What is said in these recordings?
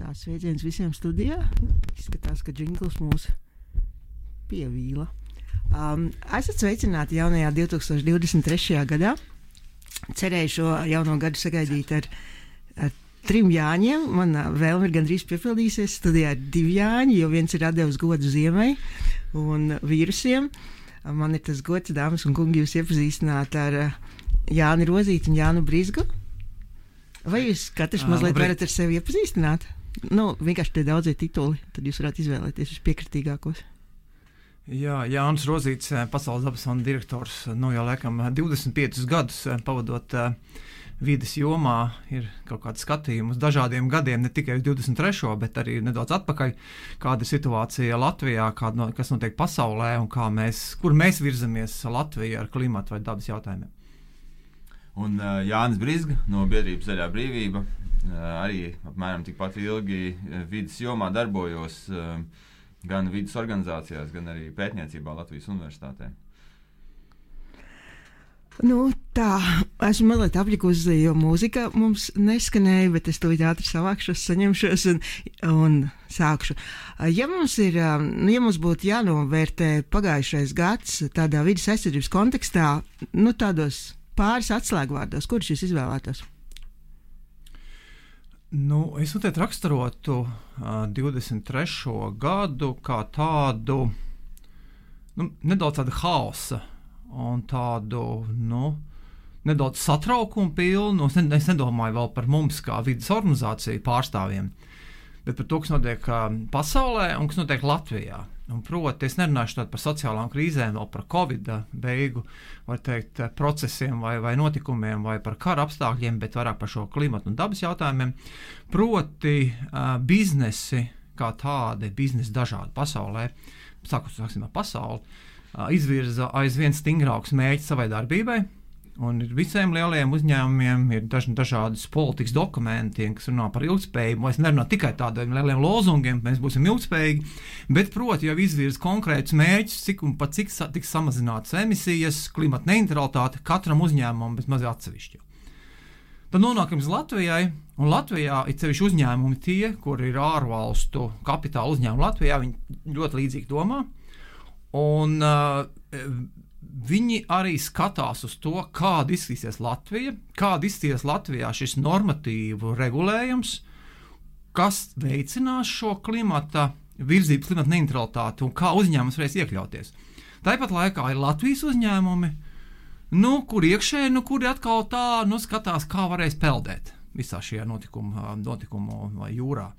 Tā sveiciens visiem studijā. Izskatās, ka džingls mūs pievīla. Esat sveicināti jaunajā 2023. gadā. Cerēju šo jauno gadu sagaidīt ar 3 Jāņiem. Mana vēlme ir gandrīz piepildījusies. Studijā ir 2 Jāņi, jo viens ir atdevis godu ziemai un vīrusiem. Man ir tas gods, dāmas un kungi, jūs iepazīstināt ar Jāni Rozīti un Jānu Brizgu. Vai jūs katrs mazliet varat ar sevi iepazīstināt? Vienkārši tie daudzie tituli, tad jūs varētu izvēlēties vispiekritīgākos. Jā, Jānis Rozīts, Pasaules dabas fonda direktors, jau laikam 25 gadus pavadot vides jomā, ir kaut kāds skatījums uz dažādiem gadiem, ne tikai uz 23., bet arī nedaudz atpakaļ, kāda ir situācija Latvijā, kas notiek pasaulē un kur mēs virzamies Latvijā ar klimatu vai dabas jautājumiem. Un Jānis Brizga no biedrības Zaļā brīvība, arī apmēram tikpat ilgi vides jomā darbojos gan vides organizācijās, gan arī pētniecībā Latvijas universitātē. Tā, esmu mazliet apjukusi, jo mūzika mums neskanēja, bet es tūlīt ātri savākšos, saņemšos un sākšu. Ja mums būtu jānovērtē pagājušais gads tādā vides aizsardzības kontekstā, tādos pāris atslēgvārdos, kurus jūs izvēlētos? Es noteikti raksturotu 23. gadu kā tādu nedaudz tādu haosa un tādu nedaudz satraukumu pilnu. Es nedomāju vēl par mums kā vides organizāciju pārstāvjiem, bet par to, kas notiek pasaulē un kas notiek Latvijā. Proti, es nerunāšu par sociālām krīzēm, vēl par Covid beigu, var teikt, procesiem vai notikumiem, vai par kara apstākļiem, bet vairāk par šo klimatu un dabas jautājumiem. Proti, biznesi kā tādi, biznesi dažādi pasaulē, sāksim ar pasauli, izvirza aizvien stingrākus mērķus savai darbībai. Un visiem lielajiem uzņēmumiem ir dažādas politikas dokumenti, kas runā par ilgspējību. Es nerunāju tikai tādiem lieliem lozungiem, mēs būsim ilgspējīgi, bet, proti, jau izvirza konkrētus mērķus, cik tiks samazinātas emisijas, klimata neutralitāte katram uzņēmumam, bet maz atsevišķi. Tad nonākam līdz Latvijai, un Latvijā ir sevišķi uzņēmumi tie, kur ir ārvalstu kapitāla uzņēmumi Latvijā, viņi ļoti līdzīgi domā. Un viņi arī skatās uz to, kāda izskatīsies Latvija, kāda izskatīsies Latvijā šis normatīvu regulējums, kas veicinās šo klimata virzību, klimata neutralitāti un kā uzņēmums varēs iekļauties. Tāpat laikā ir Latvijas uzņēmumi, kur iekšēji, kuri atkal tā skatās, kā varēs peldēt visā šajā notikumu vai jūrā.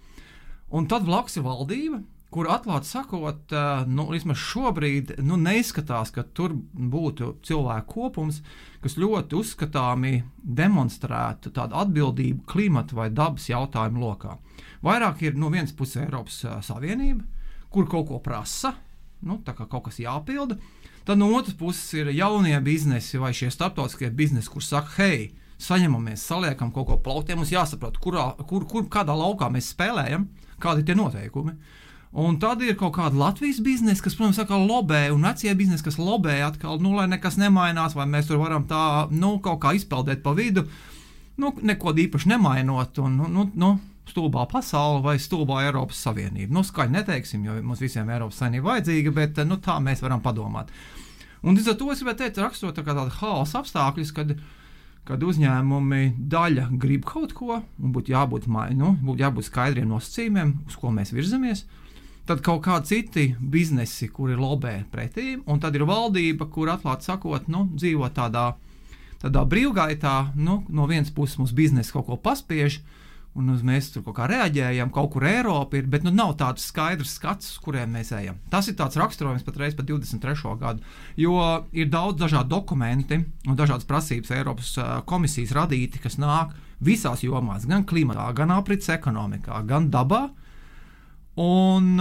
Un tad blakus ir valdība, kur atklāti sakot, vismaz šobrīd neizskatās, ka tur būtu cilvēku kopums, kas ļoti uzskatāmi demonstrētu tādu atbildību klimata vai dabas jautājumu lokā. Vairāk ir no vienas puses Eiropas Savienība, kur kaut ko prasa, tā kā kaut kas jāpilda. Tad no otras puses ir jaunie biznesi vai šie starptautiskie biznesi, kur saka, hei, saņemamies, saliekam kaut ko plauktiem, mums jāsaprot, kādā laukā mēs spēlējam, kādi ir tie noteikumi. Un tad ir kaut kāda Latvijas biznesa, kas, protams, atkal lobē, un vecie biznesi, kas lobē atkal, lai nekas nemainās, vai mēs tur varam tā, kaut kā izpeldēt pa vidu, neko īpaši nemainot, un, stulbā pasaule vai stulbā Eiropas Savienība. Skaļi neteiksim, jo mums visiem Eiropas Savienība vajadzīga, bet, tā mēs varam padomāt. Un līdz ar to es gribētu teikt, rakstot tā kā tādu haosa apstākļus, kad uzņēmumi daļa grib kaut ko, un būtu jābūt skaidriem nosacījumiem, uz ko mēs virzamies. Tad kaut kādi citi biznesi, kuri lobē pretī, un tad ir valdība, kur atklāti sakot, dzīvo tādā brīvgaitā, no vienas puses mums biznesi kaut ko paspiež, un mēs tur kaut kā reaģējam, kaut kur Eiropa ir, bet nav tāds skaidrs skats, uz kuriem mēs ejam. Tas ir tāds raksturojums patreiz par 23. gadu, jo ir daudz dažādu dokumenti un dažādas prasības Eiropas komisijas radīti, kas nāk visās jomās, gan klimatā, gan aprits ekonomikā, gan dabā. Un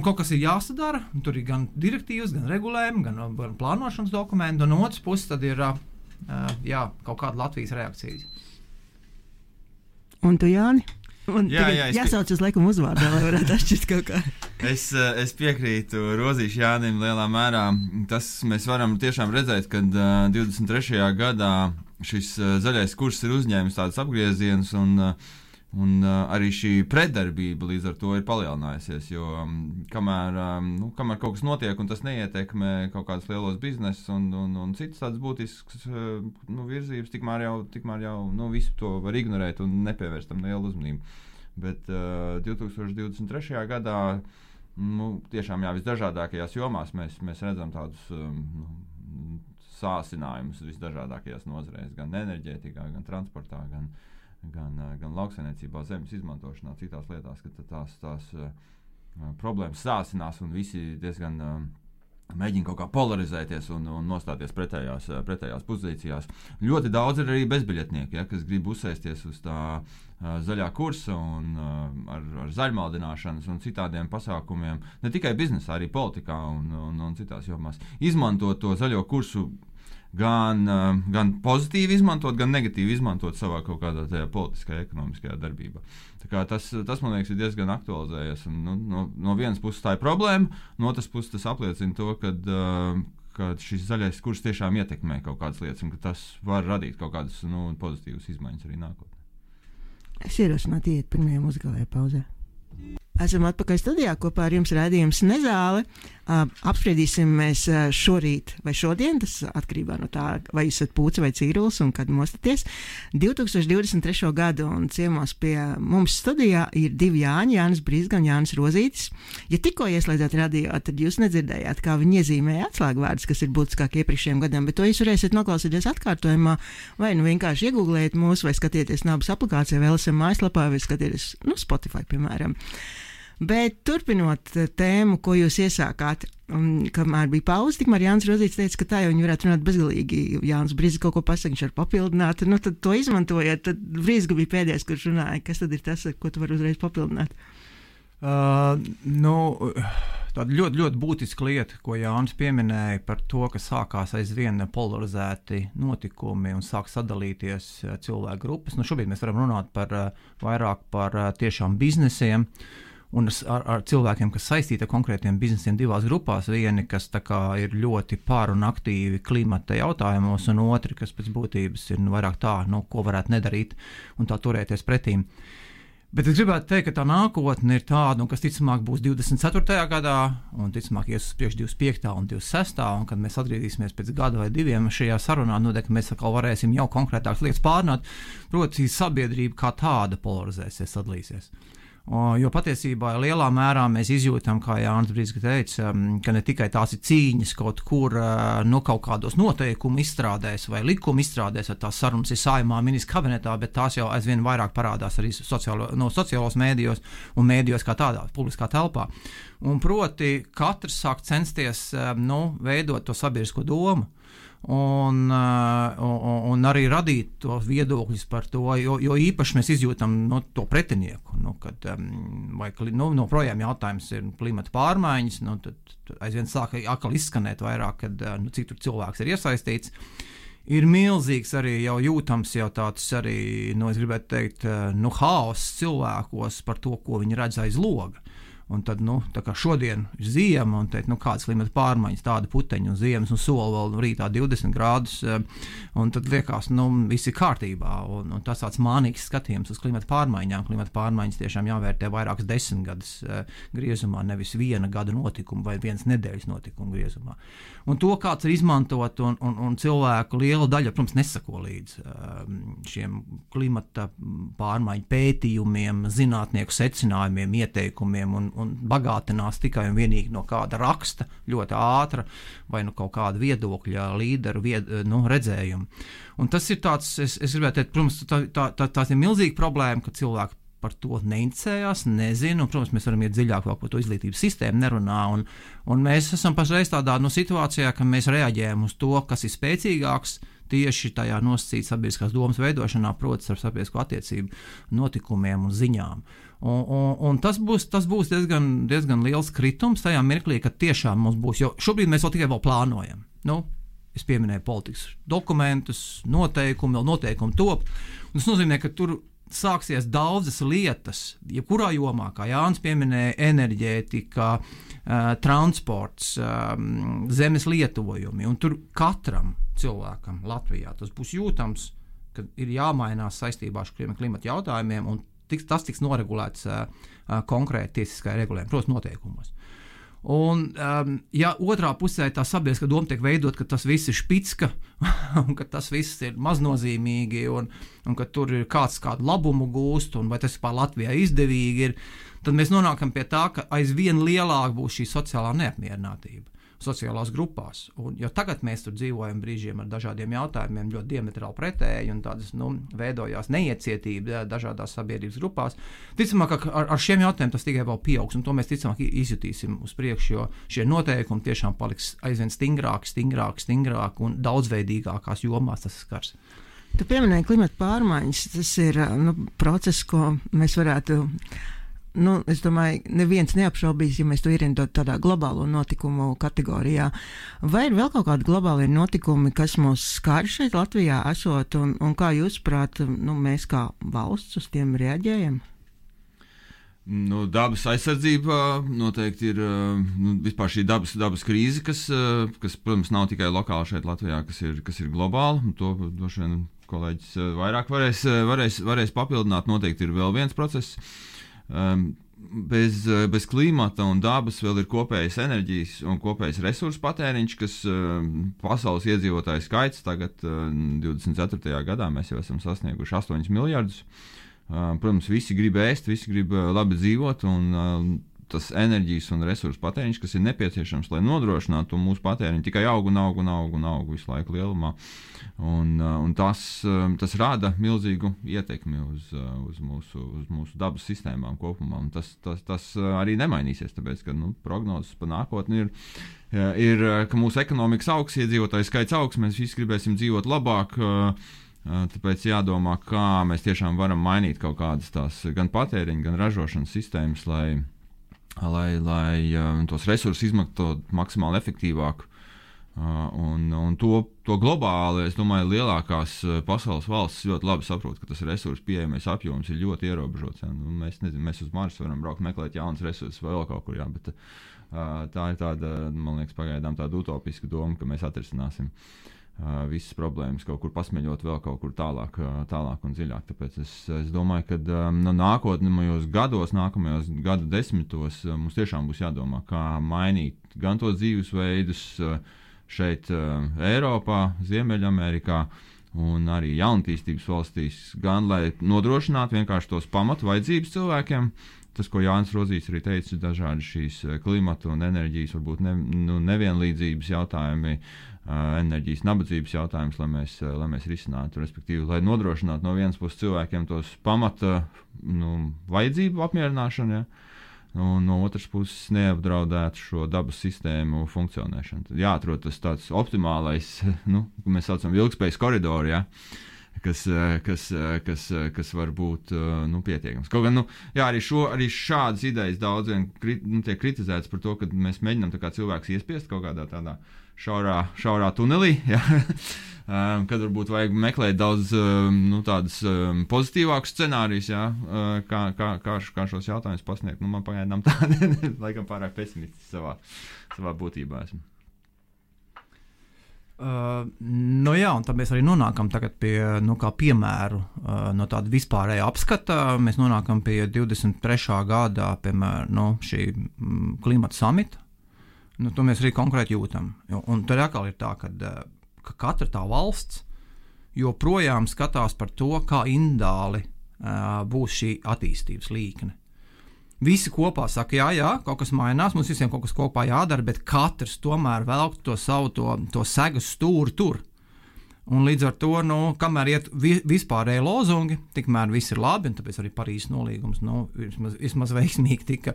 kaut kas ir jāsadara, tur ir gan direktīvas, gan regulējumi, gan plānošanas dokumenti, un no otras puses tad ir kaut kāda Latvijas reakcijas. Un tu, Jāni? Jāsauc uz laikam uzvārdā, lai varētu atšķirt kaut kā. Es piekrītu Rozīšu Jānim lielā mērā. Tas mēs varam tiešām redzēt, kad 23. gadā šis zaļais kurs ir uzņēmis tādus apgriezienus, un arī šī pretdarbība līdz ar to ir palielinājusies, jo kamēr kaut kas notiek un tas neietekmē kaut kādus lielos biznesus un citas tādas būtiskas virzības, tikmēr jau visu to var ignorēt un nepievērst tam lielu uzmanību. Bet 2023. gadā tiešām visdažādākajās jomās mēs redzam tādus sāsinājumus visdažādākajās nozarēs, gan enerģētikā, gan transportā, gan lauksaimniecībā, zemes izmantošanā, citās lietās, ka tās problēmas sāsinās un visi diezgan mēģina kaut kā polarizēties un nostāties pretējās pozīcijās. Ļoti daudz ir arī bezbiļetnieki, kas grib uzsēsties uz tā zaļā kursa un ar zaļmaldināšanas un citādiem pasākumiem, ne tikai biznesā, arī politikā un citās jomās. Izmantot to zaļo kursu gan pozitīvi izmantot, gan negatīvi izmantot savā kaut kādā tajā politiskajā, ekonomiskajā darbībā. Tā kā tas, man liekas, ir diezgan aktualizējies. Un, no vienas puses tā ir problēma, no otras puses tas apliecina to, ka šis zaļais kurs tiešām ietekmē kaut kādas lietas un ka tas var radīt kaut kādas pozitīvas izmaiņas arī nākotnē. Es ierosinātu iet pirmajā muzikālajā pauzē. Esam atpakaļ studijā, kopā ar jums raidījums Nezāle. Apspriedīsim mēs šorīt vai šodien, tas atkarībā no tā, vai jūs esat Pūce vai Cīrulis un kad mostaties, 2023. gadu, un ciemos pie mums studijā ir divi Jāņi, Jānis Brizga un Jānis Rozītis. Ja tikko ieslēdzāt radio, tad jūs nedzirdējāt, kā viņi iezīmēja atslēgvārdus, kas ir būtiskāk iepriekšējiem gadiem, bet to jūs varēsiet noklausīties atkārtojumā, vai vienkārši iegūglēt mūs, vai skatieties Nabas aplikācijā, vai LSM mājaslapā, vai skatieties Spotify, piemēram. Bet turpinot tēmu, ko jūs iesākāt, kamēr bija pauze, tikmēr Jānis Rozītis teica, ka tā jau viņi varētu runāt bezgalīgi. Jānis Brizga kaut ko pasaka, viņš var papildināt, tad to izmantojiet. Tad Brizga bija pēdējais, kurš runāja. Kas tad ir tas, ko tu vari uzreiz papildināt? Tāda ļoti, ļoti būtiska lieta, ko Jānis pieminēja par to, ka sākās aizvien polarizēti notikumi un sāk sadalīties cilvēku grupas. Šobrīd mēs varam runāt vairāk par tiešām biznesiem, un ar cilvēkiem, kas saistīti ar konkrētiem biznesiem divās grupās. Vieni, kas ir ļoti par un aktīvi klimata jautājumos, un otri, kas pēc būtības ir vairāk tā, ko varētu nedarīt un tā turēties pretīm. Bet es gribētu teikt, ka tā nākotne ir tāda, kas ticamāk būs 24. gadā, un ticamāk ies uz priekšu 25. un 26. un kad mēs atgriezīsimies pēc gada vai diviem šajā sarunā, ka mēs atkal varēsim jau konkrētākas lietas pārnāt, proti sabiedrība kā tāda polarizēsies, sadalīsies. Jo patiesībā lielā mērā mēs izjūtam, kā Jānis Brizga teica, ka ne tikai tās ir cīņas kaut kur kaut kādos noteikumu izstrādēs vai likuma izstrādēs, vai tās sarunas ir Saeimā, ministra kabinetā, bet tās jau aizvien vairāk parādās arī sociālos mēdījos un mēdījos kā tādā, publiskā telpā. Un proti, katrs sāk censties veidot to sabiedrisko domu. Un arī radīt to viedokļus par to, jo īpaši mēs izjūtam to pretinieku, kad projām jautājums ir klimata pārmaiņas, tad aizvien sāk atkal izskanēt vairāk, kad cik tur cilvēks ir iesaistīts. Ir milzīgs arī jau jūtams jau tāds arī, es gribētu teikt, haoss cilvēkos par to, ko viņi redz aiz loga. Un tad, tā kā šodien ir ziema, un teikt, kādas klimata pārmaiņas, tāda puteņa un ziemas, un sola vēl rītā 20 grādus, un tad liekas, viss ir kārtībā, un tas tāds mānīgs skatījums uz klimata pārmaiņām. Klimata pārmaiņas tiešām jāvērtē vairākas 10 gadus griezumā, nevis viena gada notikumu vai vienas nedēļas notikumu griezumā. Un to kāds ir izmantot, un cilvēku liela daļa, protams, nesako līdz šiem klimata pārmaiņu pētījumiem, zinātnieku secinājumiem, ieteikumiem, un bagātinās tikai un vienīgi no kāda raksta, ļoti ātra, vai kaut kāda viedokļa līderu redzējuma. Un tas ir tāds, es gribētu teikt, protams, tā ir milzīga problēma, ka cilvēki par to neinteresējās, nezinu, un, protams, mēs varam iet dziļāk vēl par to izglītības sistēmu, nerunā, un mēs esam pašreiz tādā situācijā, ka mēs reaģējam uz to, kas ir spēcīgāks, tieši tajā nosacīt sabiedriskās domas veidošanā, proti ar sabiedrisko attiecību notikumiem un ziņām. Un tas būs diezgan liels kritums tajā mirklī, ka tiešām mums būs, jo šobrīd mēs tikai plānojam. Es pieminēju politikas dokumentus, noteikumi top, un tas nozīmē, ka tur sāksies daudzas lietas, jebkurā jomā, kā Jānis pieminēja, enerģētika, transports, zemes lietojumi, un tur katram cilvēkam Latvijā tas būs jūtams, ka ir jāmainās saistībā ar klimata jautājumiem, un tas tiks noregulēts konkrēti tiesiskajā regulējumā, protams, noteikumos. Un, ja otrā pusē tā sabiedriskā doma tiek veidot, ka tas viss ir špicka un ka tas viss ir maznozīmīgi un ka tur ir kādu labumu gūst un vai tas vispār Latvijā izdevīgi ir, tad mēs nonākam pie tā, ka aizvien lielāk būs šī sociālā neapmierinātība sociālās grupās. Un, jo tagad mēs tur dzīvojam brīžiem ar dažādiem jautājumiem, ļoti diametrāli pretēji un tādas, veidojās neiecietība dažādās sabiedrības grupās. Ticamāk, ka ar šiem jautājumiem tas tikai vēl pieaugs, un to mēs ticamāk izjutīsim uz priekšu, jo šie noteikumi tiešām paliks aizvien stingrāk un daudzveidīgākās jomās tas skars. Tu pieminēji klimata pārmaiņas, tas ir process, ko mēs varētu... es domāju, neviens neapšaubīs, ja mēs to ierindot tādā globālo notikumu kategorijā. Vai ir vēl kaut kādi globāli notikumi, kas mūs skar šeit Latvijā esot, un kā jūs prāt, mēs kā valsts uz tiem reaģējam? Dabas aizsardzība noteikti ir vispār šī dabas krīze, kas, protams, nav tikai lokāli šeit Latvijā, kas ir globāli. To droši vien kolēģis vairāk varēs papildināt. Noteikti ir vēl viens process. Bez klimata un dabas vēl ir kopējas enerģijas un kopējs resursu patēriņš, kas pasaules iedzīvotāju skaits tagad 24. gadā mēs jau esam sasnieguši 8 miljardus. Protams, visi grib ēst, visi grib labi dzīvot, un tas enerģijas un resursu patēriņš, kas ir nepieciešams, lai nodrošinātu mūsu patēriņu, tikai aug visu laiku lielumā. Un tas rada milzīgu ietekmi uz mūsu dabas sistēmām kopumā. Un tas arī nemainīsies, tāpēc, ka prognozes pa nākotni ir, ka mūsu ekonomikas augs, iedzīvotāju skaits augs, mēs visi gribēsim dzīvot labāk. Tāpēc jādomā, kā mēs tiešām varam mainīt kaut kādas tās gan patēriņa, gan ražošanas sistēmas, lai tos resursus izmantot maksimāli efektīvāk. Un to globāli, es domāju, lielākās pasaules valstis ļoti labi saprot, ka tas resursu pieejamais apjoms ir ļoti ierobežots. Mēs uz Marsu varam braukt, meklēt jaunas resursus vai vēl kaut kur, bet tā ir tāda, man liekas, pagaidām tāda utopiska doma, ka mēs atrisināsim visas problēmas, kaut kur pasmeļot vēl kaut kur tālāk un dziļāk. Tāpēc es domāju, ka nākamajos gadu desmitos mums tiešām būs jādomā, kā mainīt gan tos dzīvesveidus šeit Eiropā, Ziemeļamerikā un arī jaunatīstības valstīs, gan lai nodrošinātu vienkārši tos pamatu vajadzības cilvēkiem. Tas, ko Jānis Rozīs arī teica, dažādi šīs klimata un enerģijas, varbūt nevienlīdzības jautājumi, enerģijas nabadzības jautājums, lai mēs risinātu, respektīvi, lai nodrošinātu no vienas puses cilvēkiem tos pamata vajadzību apmierināšanu, un no otras puses neapdraudētu šo dabas sistēmu funkcionēšanu. Tad jāatrod tas tāds optimālais, ko mēs saucam ilgspējas koridoru, kas var būt pietiekams. Kaut gan, arī šādas idejas daudz tiek kritizētas par to, ka mēs mēģinām tā kā cilvēks iespiest kaut kādā tādā šaurā tunelī, kad varbūt vajag meklēt daudz tādas pozitīvākus scenārijus, kā šos jautājumus pasniegt. Man pagaidām tāda, laikam pārāk pesimistiski savā būtībā esmu. Un tad mēs arī nonākam tagad pie, kā piemēru no tāda vispārēja apskata. Mēs nonākam pie 23. gadā, piemēram, šī klimata samita. To mēs arī konkrēti jūtam. Un tad atkal ir tā, ka katra tā valsts joprojām skatās par to, kā individuāli būs šī attīstības līkne. Visi kopā saka, jā, kaut kas mainās, mums visiem kaut kas kopā jādara, bet katrs tomēr velk to savu to segas stūri tur. Un līdz ar to, kamēr iet vispārēji lozungi, tikmēr viss ir labi, un tāpēc arī Parīzes nolīgums vismaz veiksmīgi tika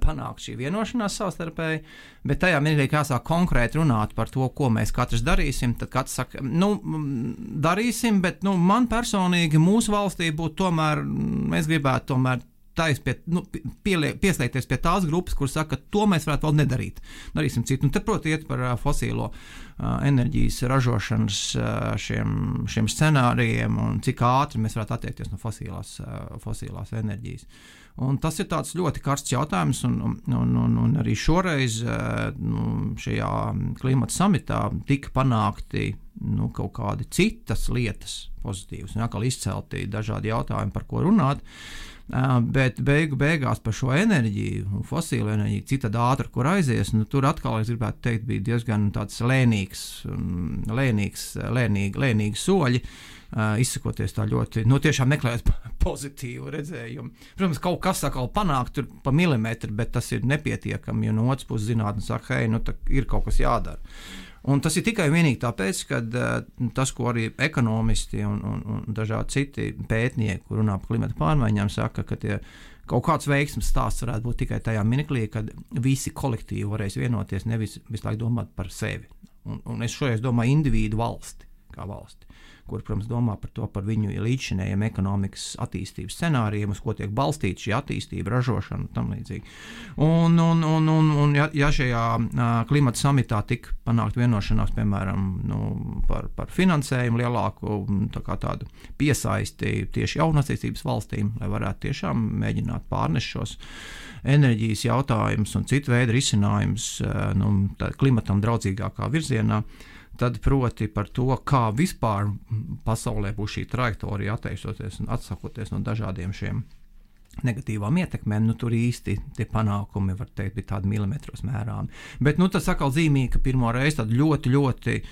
panākt šī vienošanās savstarpēji, bet tajā mirklī jāsāk konkrēti runāt par to, ko mēs katrs darīsim, tad katrs saka, darīsim, bet man personīgi mūsu valstī būtu tomēr, mēs gribētu tomēr pieslēgties pie tās grupas, kur saka, ka to mēs varētu vēl nedarīt. Darīsim citu. Un te, proti, iet par fosīlo enerģijas ražošanas šiem scenārijiem un cik ātri mēs varētu attiekties no fosīlās enerģijas. Un tas ir tāds ļoti karsts jautājums, un arī šoreiz šajā klimata samitā tika panākti kaut kādi citas lietas pozitīvas, un atkal izcelti dažādi jautājumi, par ko runāt. Bet beigās par šo enerģiju un fosīlo enerģiju, cik tad ātri, kur aizies, nu, tur atkal, es gribētu teikt, bija diezgan tāds lēnīgi soļi, izsakoties tā ļoti, tiešām meklējot pozitīvu redzējumu. Protams, kaut kas atkal panāk tur pa milimetru, bet tas ir nepietiekami, jo no otras puses zinātne saka, hei, ir kaut kas jādara. Un tas ir tikai vienīgi tāpēc, ka tas, ko arī ekonomisti un dažādi citi pētnieki, kur runā par klimata pārmaiņām, saka, ka kaut kāds veiksmes stāsts varētu būt tikai tajā mirklī, kad visi kolektīvi varēs vienoties, nevis visu laiku domāt par sevi. Un es šoreiz domāju individu valsti, kā valsti, kur, protams, domā par viņu līdzšinējiem ekonomikas attīstības scenārijiem, uz ko tiek balstīta šī attīstība, ražošana un tam līdzīgi. Un ja šajā klimata samitā tika panākt vienošanās, piemēram, par finansējumu lielāku tādu piesaisti tieši jaunatīstības valstīm, lai varētu tiešām mēģināt pārnest šos enerģijas jautājumus un citu veidu risinājumus klimatam draudzīgākā virzienā, tad proti par to, kā vispār pasaulē būs šī trajektorija atteicoties un atsakoties no dažādiem šiem negatīvām ietekmēm, tur īsti tie panākumi, var teikt, bija tādi milimetros mērāmi. Bet tas atkal zīmīgi, ka pirmo reizi tāda ļoti, ļoti,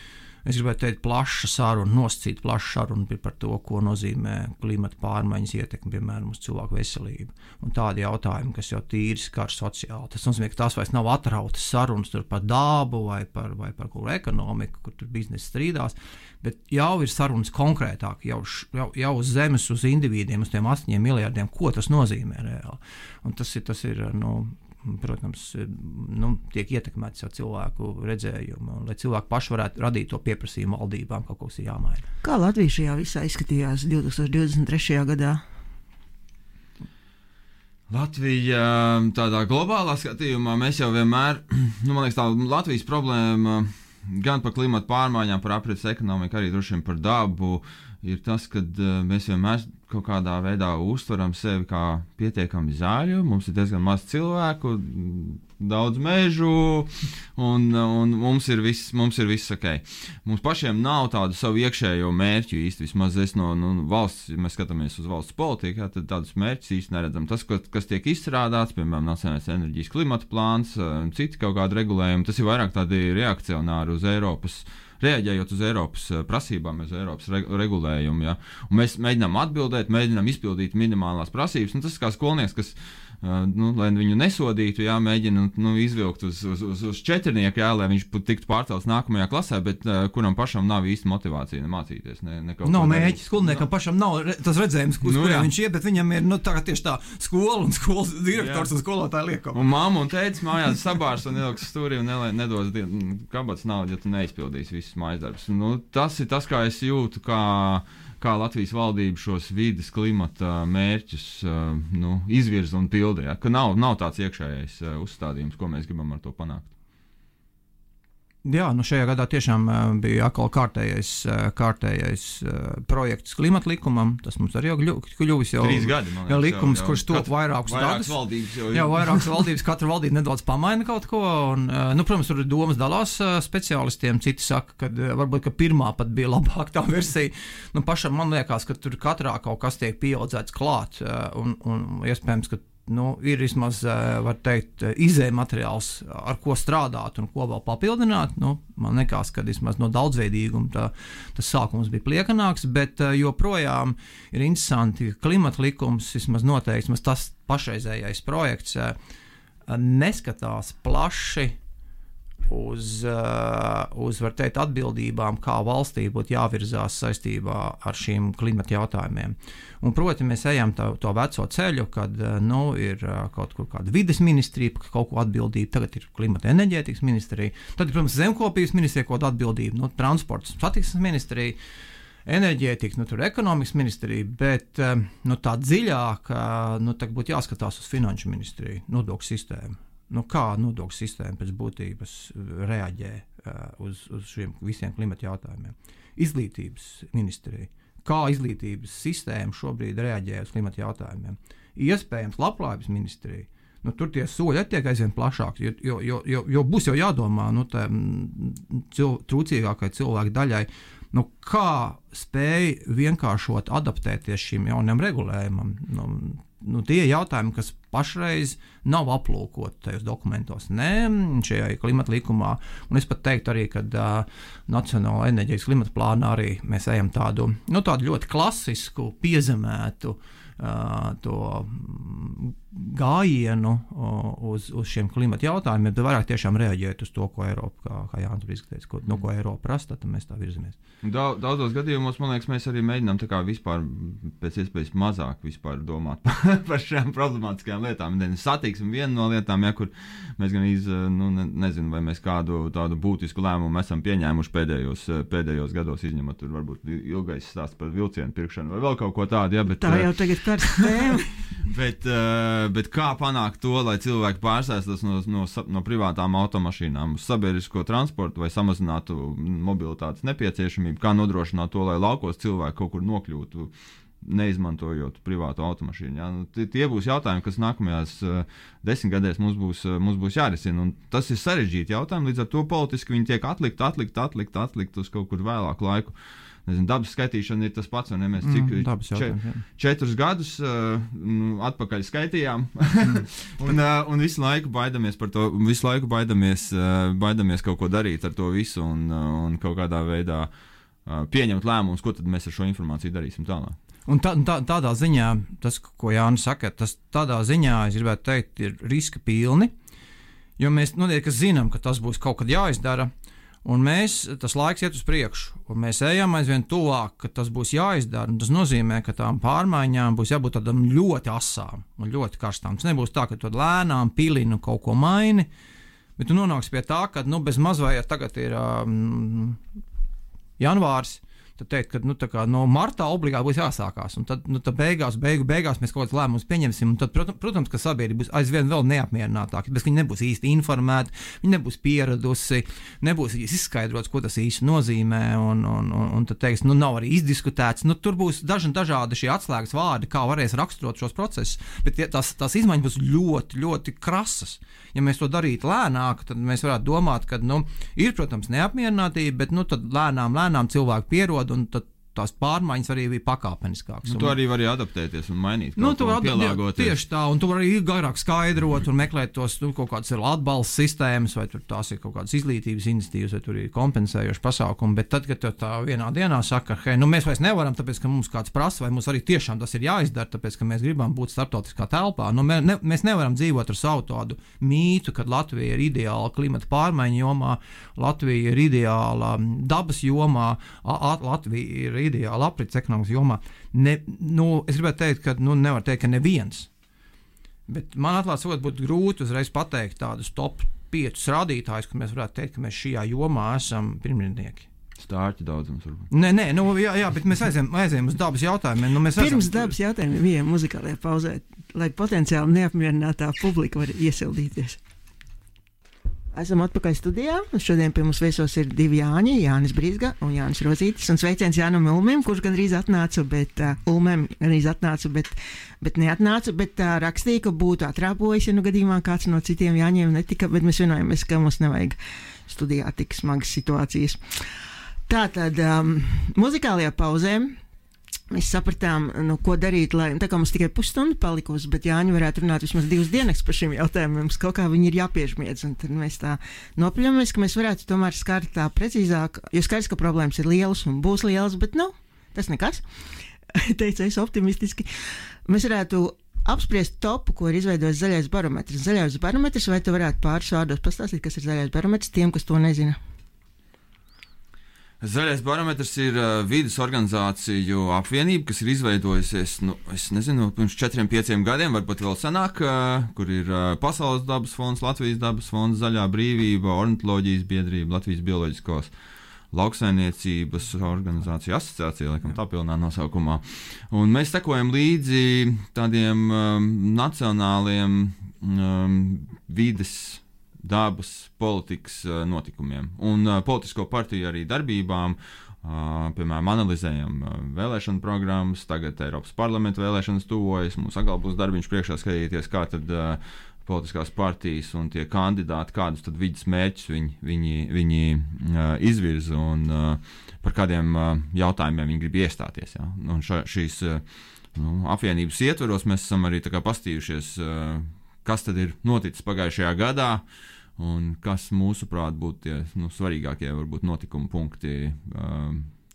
es gribētu teikt, plaša saruna, nosacīta plaša saruna par to, ko nozīmē klimata pārmaiņas ietekme, piemēram, uz cilvēku veselību. Un tādi jautājumi, kas jau tīri skar sociāli. Tas nozīmē, ka tās vairs nav atrautas sarunas tur par dabu vai par kuru ekonomiku, kur tur biznesa strīdās, bet jau ir sarunas konkrētāk, jau uz zemes, uz individiem, uz tiem 8 miljardiem, ko tas nozīmē reāli. Un tas ir protams, tiek ietekmēts jau cilvēku redzējumu, lai cilvēki paši varētu radīt to pieprasījumu valdībām, kaut kas ir jāmaina. Kā Latvija šajā visā izskatījās 2023. gadā? Latvija tādā globālā skatījumā mēs jau vienmēr, man liekas, tā Latvijas problēma gan par klimatu pārmaiņām, par aprits ekonomiku, arī droši vien par dabu, ir tas, ka mēs vienmēr kaut kādā veidā uztveram sevi kā pietiekami zaļu, mums ir diezgan maz cilvēku, daudz mežu, un mums ir viss ok. Mums pašiem nav tādu savu iekšējo mērķu īsti, vismaz es no valsts, ja mēs skatāmies uz valsts politiku, tad tādus mērķus īsti neredzam. Tas, kas tiek izstrādāts, piemēram, Nacionālais enerģijas klimata plāns, citi kaut kādi regulējumi, tas ir vairāk tādi reakcionāri uz Eiropas, reaģējot uz Eiropas prasībām, uz Eiropas regulējumu. Ja? Un mēs mēģinām atbildēt, mēģinām izpildīt minimālās prasības. Un tas kā skolnieks, kas, lai viņu nesodītu, jā, mēģina izvilkt uz četrnieku, jā, lai viņš tiktu pārcelts nākamajā klasē, bet kuram pašam nav īsti motivācija mācīties. Nav mēģi, skolniekam pašam nav tas redzējums, uz kuriem viņš iet, bet viņam ir tieši tā skola un skolas direktors un skolotāja liekam. Un mamma un tētis mājās sabārs un ieliks stūrī un nedos kabatas naudu, ja tu neizpildīsi visus mājas darbus. Tas ir tas, kā es jūtu, kā Latvijas valdība šos vides klimata mērķus izvirza un pilda, ja? Ka nav tāds iekšējais uzstādījums, ko mēs gribam ar to panākt. Jā, šajā gadā tiešām bija atkal kārtējais projekts klimata likumam. Tas mums arī jau kļuvis 3 gadi, jau likums, kurš top vairākus gadus. Vairākas valdības, katra valdība nedaudz pamaina kaut ko. Un, protams, tur domas dalās speciālistiem. Citi saka, ka varbūt ka pirmā pat bija labāk tā versija. Pašam man liekas, ka tur katrā kaut kas tiek pieaudzēts klāt. Un iespējams, ka ir vismaz, var teikt, izēja materiāls, ar ko strādāt un ko vēl papildināt. Man liekas, ka vismaz no daudzveidīguma tas sākums bija pliekanāks, bet joprojām ir interesanti, ka klimata likums, vismaz noteikti, tas pašreizējais projekts neskatās plaši uz var teikt, atbildībām, kā valstī būtu jāvirzās saistībā ar šīm klimata jautājumiem. Un, proti, mēs ejam to veco ceļu, kad ir kaut kur kāda vides ministrija, kaut ko atbildība, tagad ir klimata enerģētikas ministrija, tad, protams, zemkopības ministrija kaut atbildība, transports, satiksmes ministrija, enerģētikas, tur ekonomikas ministrija, bet tā dziļāk, tagad būtu jāskatās uz finanšu ministriju, nodokļu sistēmu. Kā nodokļu sistēma pēc būtības reaģē uz šiem visiem klimata jautājumiem. Izglītības ministrija. Kā izglītības sistēma šobrīd reaģē uz klimata jautājumiem. Iespējams, labklājības ministrija. Tur tie soļi attiek aizvien plašāki, jo būs jau jādomā trūcīgākai cilvēku daļai, kā spēj vienkāršot adaptēties šim jaunam regulējumam. tie jautājumi, kas pašreiz nav aplūkoti tajos dokumentos, ne šajā klimata likumā. Un es pat teiktu arī, ka Nacionālā enerģijas klimata plānā arī mēs ejam tādu ļoti klasisku, piezemētu to gājienu uz šiem klimata jautājumiem, bet vairāk tiešām reaģēt uz to, ko Eiropa, kā Jānis Brīsks teica, ko Eiropa prasa, tad mēs tā virzamies. Daudzos gadījumos, man liekas, mēs arī mēģinām tā kā vispār pēc iespējas mazāk vispār domāt par šām problemātiskajām lietām. Satiksme viena no lietām, kur mēs gan nezinu, vai mēs kādu tādu būtisku lēmumu esam pieņēmuši pēdējos gados, izņemot tur varbūt ilgais stāsts par vilcienu pirkšanu vai vēl kaut ko tādu. Ja, bet, tā jau tagad karsta tēma. Bet kā panākt to, lai cilvēki pārsēstas no privātām automašīnām uz sabiedrisko transportu vai samazinātu mobilitātes nepieciešamību, kā nodrošināt to, lai laukos cilvēki kaut kur nokļūtu, neizmantojot privātu automašīnu. Ja? Tie būs jautājumi, kas nākamajās 10 gadēs mums būs jārisina. Un tas ir sarežģīti jautājumi, līdz ar to politiski viņi tiek atlikt uz kaut kur vēlāku laiku. Nezinu, dabas skaitīšana ir tas pats, un mēs 4 gadus atpakaļ skaitījām, un visu laiku baidamies par to, baidamies kaut ko darīt ar to visu, un kaut kādā veidā pieņemt lēmumus, ko tad mēs ar šo informāciju darīsim tālāk. Un tādā ziņā, tas, ko Jānis saka, tas tādā ziņā, es gribētu teikt, ir riska pilni, jo mēs zinām, ka tas būs kaut kad jāizdara. Un tas laiks iet uz priekšu, un mēs ejam aizvien tuvāk, ka tas būs jāizdara. Tas nozīmē, ka tām pārmaiņām būs jābūt tādām ļoti asām un ļoti karstām. Tas nebūs tā, ka tu lēnām pilini kaut ko maini, bet tu nonāksi pie tā, ka bez mazvai, ja tagad ir janvārs, tad teikt, ka no martā obligāti būs jāsākās. Un tad beigās mēs kaut kāds lēmums pieņemsim. Un tad, protams, ka sabiedrība būs aizvien vēl neapmierinātāka, bet viņi nebūs īsti informēti, viņi nebūs pieradusi, nebūs izskaidrots, ko tas īsti nozīmē, un tad teiks, nav arī izdiskutēts. Tur būs dažādi šie atslēgas vārdi, kā varēs raksturot šos procesus, bet tās izmaiņas būs ļoti, ļoti krasas. Ja mēs to darītu lēnāk, tad mēs varētu domāt, ka ir, protams, neapmierinātība, bet tad lēnām cilvēki pierod, un tad tās pārmaiņas arī bija pakāpeniskākas. Tu arī vari adaptēties un mainīt, pielāgoties. Tieši tā, un tu vari garāk skaidrot un meklēt tos kaut kādas atbalsta sistēmas, vai tās ir kaut kādas izglītības iniciatīvas, vai tur ir kompensējoši pasākumi, bet tad, kad tā vienā dienā saka, hei, mēs vairs nevaram, tāpēc, ka mums kāds prasa, vai mums arī tiešām tas ir jāizdara, tāpēc, ka mēs gribam būt starptautiskā telpā. Mēs nevaram dzīvot ar savu tādu mītu, kad Latvija ir ideāla klimata pārmaiņu jomā, Latvija ir ideāla dabas jomā, Latvija ir ideāla aprits ekonomikas jomā. Es gribētu teikt, ka nevar teikt, ka neviens. Bet man atklāt sakot, būtu grūti uzreiz pateikt tādus top 5 rādītājus, ka mēs varētu teikt, ka mēs šajā jomā esam pirmrindnieki. Stārķi daudzums varbūt. Nē, jā, bet mēs aizējam uz dabas jautājumiem. Pirms dabas jautājumiem vien muzikālajā pauzē, lai potenciāli neapmierinātā publika var iesildīties. Esam atpakaļ studijā. Šodien pie mums viesos ir 2 Jāņi, Jānis Brīsga un Jānis Rozītis. Un sveiciens Jānam Ulmim, kurš gandrīz atnāca, bet neatnāca, bet rakstīja, ka būtu atrāpojis, ja gadījumā kāds no citiem Jāņiem netika, bet mēs vienojamies, ka mums nevajag studijā tik smagas situācijas. Tātad muzikālajā pauzē mēs sapratām, ko darīt, lai tā kā mums tikai pusstunda palikusi, bet Jāņi varētu runāt vismaz 2 dienas par šiem jautājumiem, mums kaut kā viņi ir jāpiežmiedz, un tad mēs tā nopļamies, ka mēs varētu tomēr skart tā precīzāk, jo skaidrs, ka problēmas ir lielas un būs lielas, bet tas nekas, teicu es optimistiski. Mēs varētu apspriest topu, ko ir izveidojis Zaļais barometrs. Zaļais barometrs, vai tu varētu pāris vārdos pastāstīt, kas ir Zaļais barometrs tiem, kas to nezina? Zaļais barometrs ir vides organizāciju apvienība, kas ir izveidojusies, es nezinu, pirms 4-5 gadiem, varbūt vēl senāk, kur ir Pasaules dabas fonds, Latvijas dabas fonds, Zaļā brīvība, Ornitoloģijas biedrība, Latvijas bioloģiskos lauksaimniecības organizācija asociācija, laikam tā pilnā nosaukumā. Un mēs sekojam līdzi tādiem nacionāliem vides dabas politikas notikumiem un politisko partiju arī darbībām. Piemēram, analizējam vēlēšanu programmas, tagad Eiropas parlamenta vēlēšanas tuvojas, mums atkal būs darbiņš priekšā skatīties, kā tad politiskās partijas un tie kandidāti, kādus tad vidas mērķus viņi izvirza un par kādiem jautājumiem viņi grib iestāties. Ja? Un šīs apvienības ietveros mēs esam arī tā kā pastījušies, kas tad ir noticis pagājušajā gadā un kas mūsuprāt būtu tie svarīgākie varbūt notikuma punkti,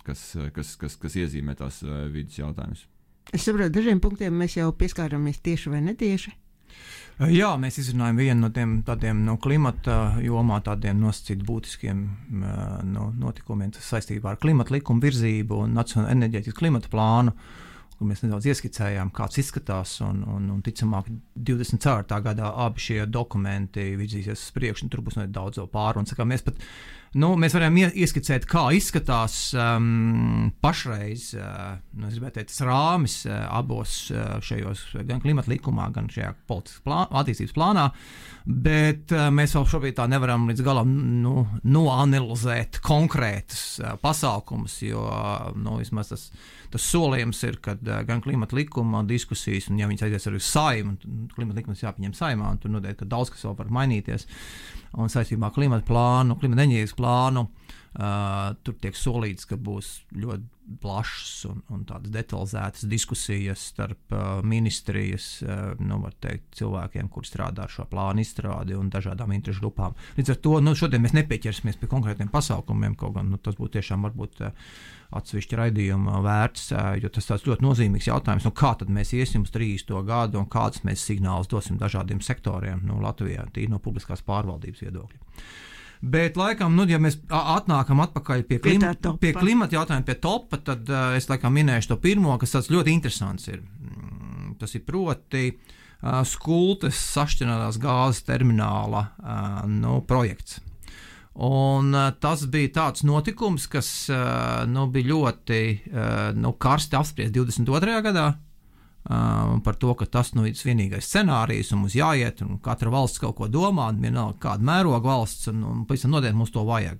kas iezīmē tās vidas jautājumus. Es saprotu, dažiem punktiem mēs jau pieskārāmies tieši vai netieši. Jā, mēs izrunājam vienu no tiem tādiem klimata jomā, tādiem nosacīt būtiskiem notikumiem saistībā ar klimata likumu virzību un nacionālo enerģētikas klimata plānu, kur mēs nedaudz ieskicējām, kāds izskatās, un ticamāk 24. gadā abi šie dokumenti virzīsies uz priekšu, un tur būs daudz pārunas. Mēs varam ieskicēt, kā izskatās pašreiz, es gribētu teikt, tas rāmis abos šajos, gan klimata likumā, gan šajā attīstības plānā, bet mēs vēl šobrīd tā nevaram līdz galam noanalizēt konkrētas pasākumus, jo vismaz tas solījums ir, kad gan klimata likuma diskusijas, un ja viņas aizies arī uz Saimu, klimata likums jāpieņem Saimā, un tur noteikti, ka daudz kas vēl var mainīties, un saistībā ar klimata plānu, klimata enerģijas plānu, tur tiek solīts, ka būs ļoti plašas un tādas detalizētas diskusijas starp ministrijas, var teikt, cilvēkiem, kuri strādā ar šo plānu izstrādi un dažādām interešu grupām. Līdz ar to, šodien mēs nepieķersimies pie konkrētiem pasākumiem, kaut gan tas būtu tiešām varbūt atsevišķi raidījuma vērts, jo tas tāds ļoti nozīmīgs jautājums, kā tad mēs iesim uz 30. gadu un kādas mēs signālus dosim dažādiem sektoriem Latvijā, tīri no publiskās pārvaldības viedokļa. Bet, laikam, ja mēs atnākam atpakaļ pie klimata jautājuma, pie topa, tad es laikam minēšu to pirmo, kas tāds ļoti interesants ir. Tas ir proti Skultes sašķinātās gāzes termināla projekts. Un tas bija tāds notikums, kas bija ļoti karsti apspriest 22. gadā. Par to, ka tas ir vienīgais scenārijs un mums jāiet, un katra valsts kaut ko domā, un vienalga kāda mēroga valsts, un pavisam noteikti mums to vajag.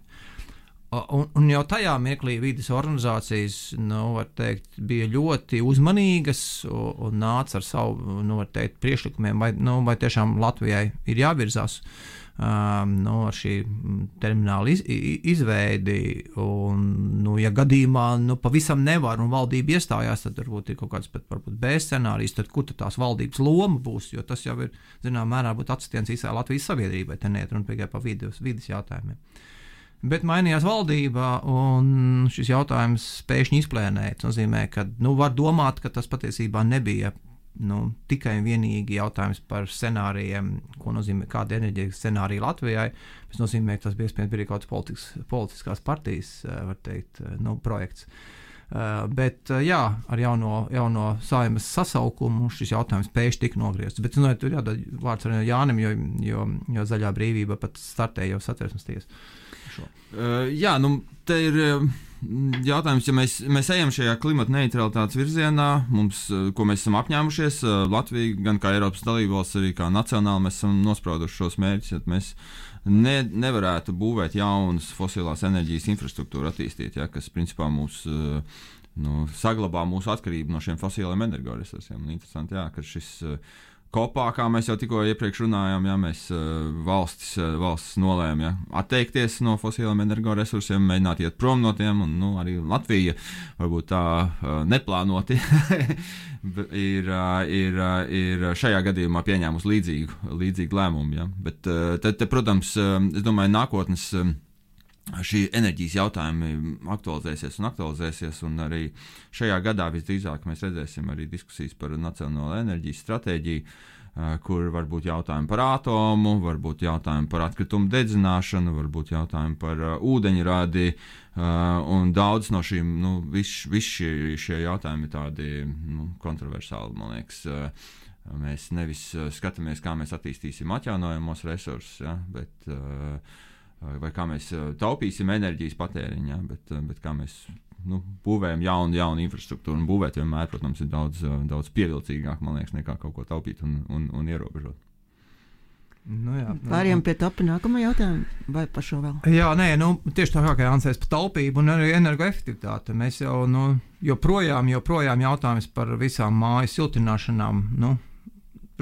Un jau tajā mirklī vides organizācijas, var teikt, bija ļoti uzmanīgas un nāca ar savu, var teikt, priekšlikumiem, vai tiešām Latvijai ir jāvirzās ar šī termināla izveidi, un, ja gadījumā pavisam nevar un valdība iestājās, tad varbūt ir kaut kāds varbūt B scenārijs, tad kur tās valdības loma būs, jo tas jau ir, mērā būt atsitiens visai Latvijas sabiedrībai, te neiet runa tikai par vides jautājumiem. Bet mainījās valdība, un šis jautājums pēkšņi izplēnēja. Tas nozīmē, ka var domāt, ka tas patiesībā nebija tikai un vienīgi jautājums par scenārijiem, ko nozīmē kāda enerģētikas scenārija Latvijai. Tas nozīmē, ka tas bija iespējams arī kaut kāds politiskās partijas, var teikt, projekts. Bet jā, ar jauno Saimas sasaukumu šis jautājums pēkšņi tika nogriezts. Bet tur jādod vārds arī Jānim, jo Zaļā brīvība pat startēja jau Satversmes tiesu. Jā, te ir jautājums, ja mēs ejam šajā klimata neutralitātes virzienā, ko mēs esam apņēmušies, Latvija, gan kā Eiropas dalībvalsts, arī kā nacionāli mēs esam nosprauduši šos mērķus, ja mēs nevarētu būvēt jaunas fosilās enerģijas infrastruktūru attīstīt, kas principā mūs saglabā mūsu atkarību no šiem fosiliem energoresursiem. Interesanti, ka šis kopā, kā mēs jau tikko iepriekš runājām, mēs valsts nolēma atteikties no fosiliem energoresursiem, mēģināt iet prom no tiem, un arī Latvija varbūt tā neplānoti ir šajā gadījumā pieņēmusi līdzīgu lēmumu. Bet tad, protams, es domāju, nākotnes šī enerģijas jautājumi aktualizēsies, un arī šajā gadā visdrīzāk mēs redzēsim arī diskusijas par nacionālo enerģijas stratēģiju, kur var būt jautājumi par atomu, varbūt jautājumi par atkritumu dedzināšanu, varbūt jautājumi par ūdeņradi, un daudz no šīm, visi šie jautājumi ir tādi kontroversāli, man liekas. Mēs nevis skatāmies, kā mēs attīstīsim atjaunojamos resursus, bet vai kā mēs taupīsim enerģijas patēriņā, bet kā mēs būvējam jaunu infrastruktūru, un būvēt vienmēr, protams, ir daudz pievilcīgāk, man liekas, nekā kaut ko taupīt un ierobežot. Pārējām pie topa nākamā jautājuma, vai par šo vēl? Jā, tieši tā kā Jānis par taupību un arī energoefektivitāti. Mēs jau joprojām jautājums par visām mājas siltināšanām,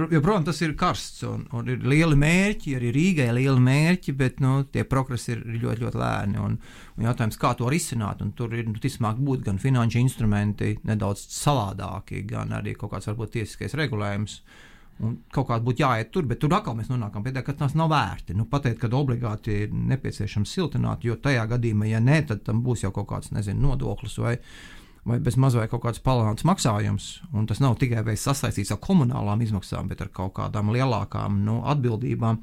Protams, tas ir karsts un ir lieli mērķi, arī Rīgai lieli mērķi, bet tie progresi ir ļoti, ļoti lēni. Un jautājums, kā to risināt, un tur ir ticamāk būt gan finanšu instrumenti nedaudz savādāki, gan arī kaut kāds varbūt tiesiskais regulējums. Un kaut kādā būtu jāiet tur, bet tur atkal mēs nonākam pie tā, ka tas nav vērti. Pateikt, ka obligāti ir nepieciešams siltināt, jo tajā gadījumā, ja nē, tad tam būs jau kaut kāds, nodoklis vai bez maz vai kaut kāds palielināts maksājums, un tas nav tikai sasaistīts ar komunālām izmaksām, bet ar kaut kādām lielākām atbildībām,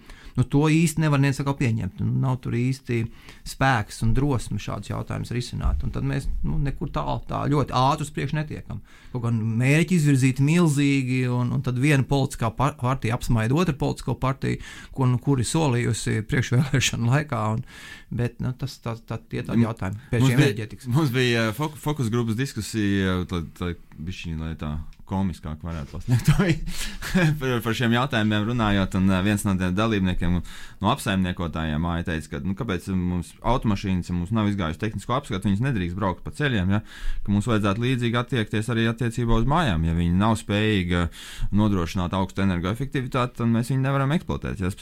to īsti nevar neviens pieņemt. Nav tur īsti spēks un drosme šādus jautājumus risināt, un tad mēs nekur tā ļoti ātri uz priekšu netiekam. Kaut kā mērķi izvirzīti milzīgi, un tad viena politiskā partija apsmaida otru politisko partiju, kuri solījusi priekšvēlēšanu laikā, bet tas tie tādi jautājumi pēc šiem enerģētikas. Mums bija fokus grupas diskusija, lai tā komiskāk varētu pasniegt par šiem jautājumiem runājot, un viens no tiem dalībniekiem, no apsaimniekotājiem māja teica, ka kāpēc mums automašīnas, ja mums nav izgājusi tehnisko apskatu, viņas nedrīkst braukt pa ceļiem, ja? Ka mums vajadzētu līdzīgi attiekties arī attiecībā uz mājām. Ja viņi nav spējīgi nodrošināt augstu energoefektivitāti, tad mēs viņu nevaram eksploatēt. Ja?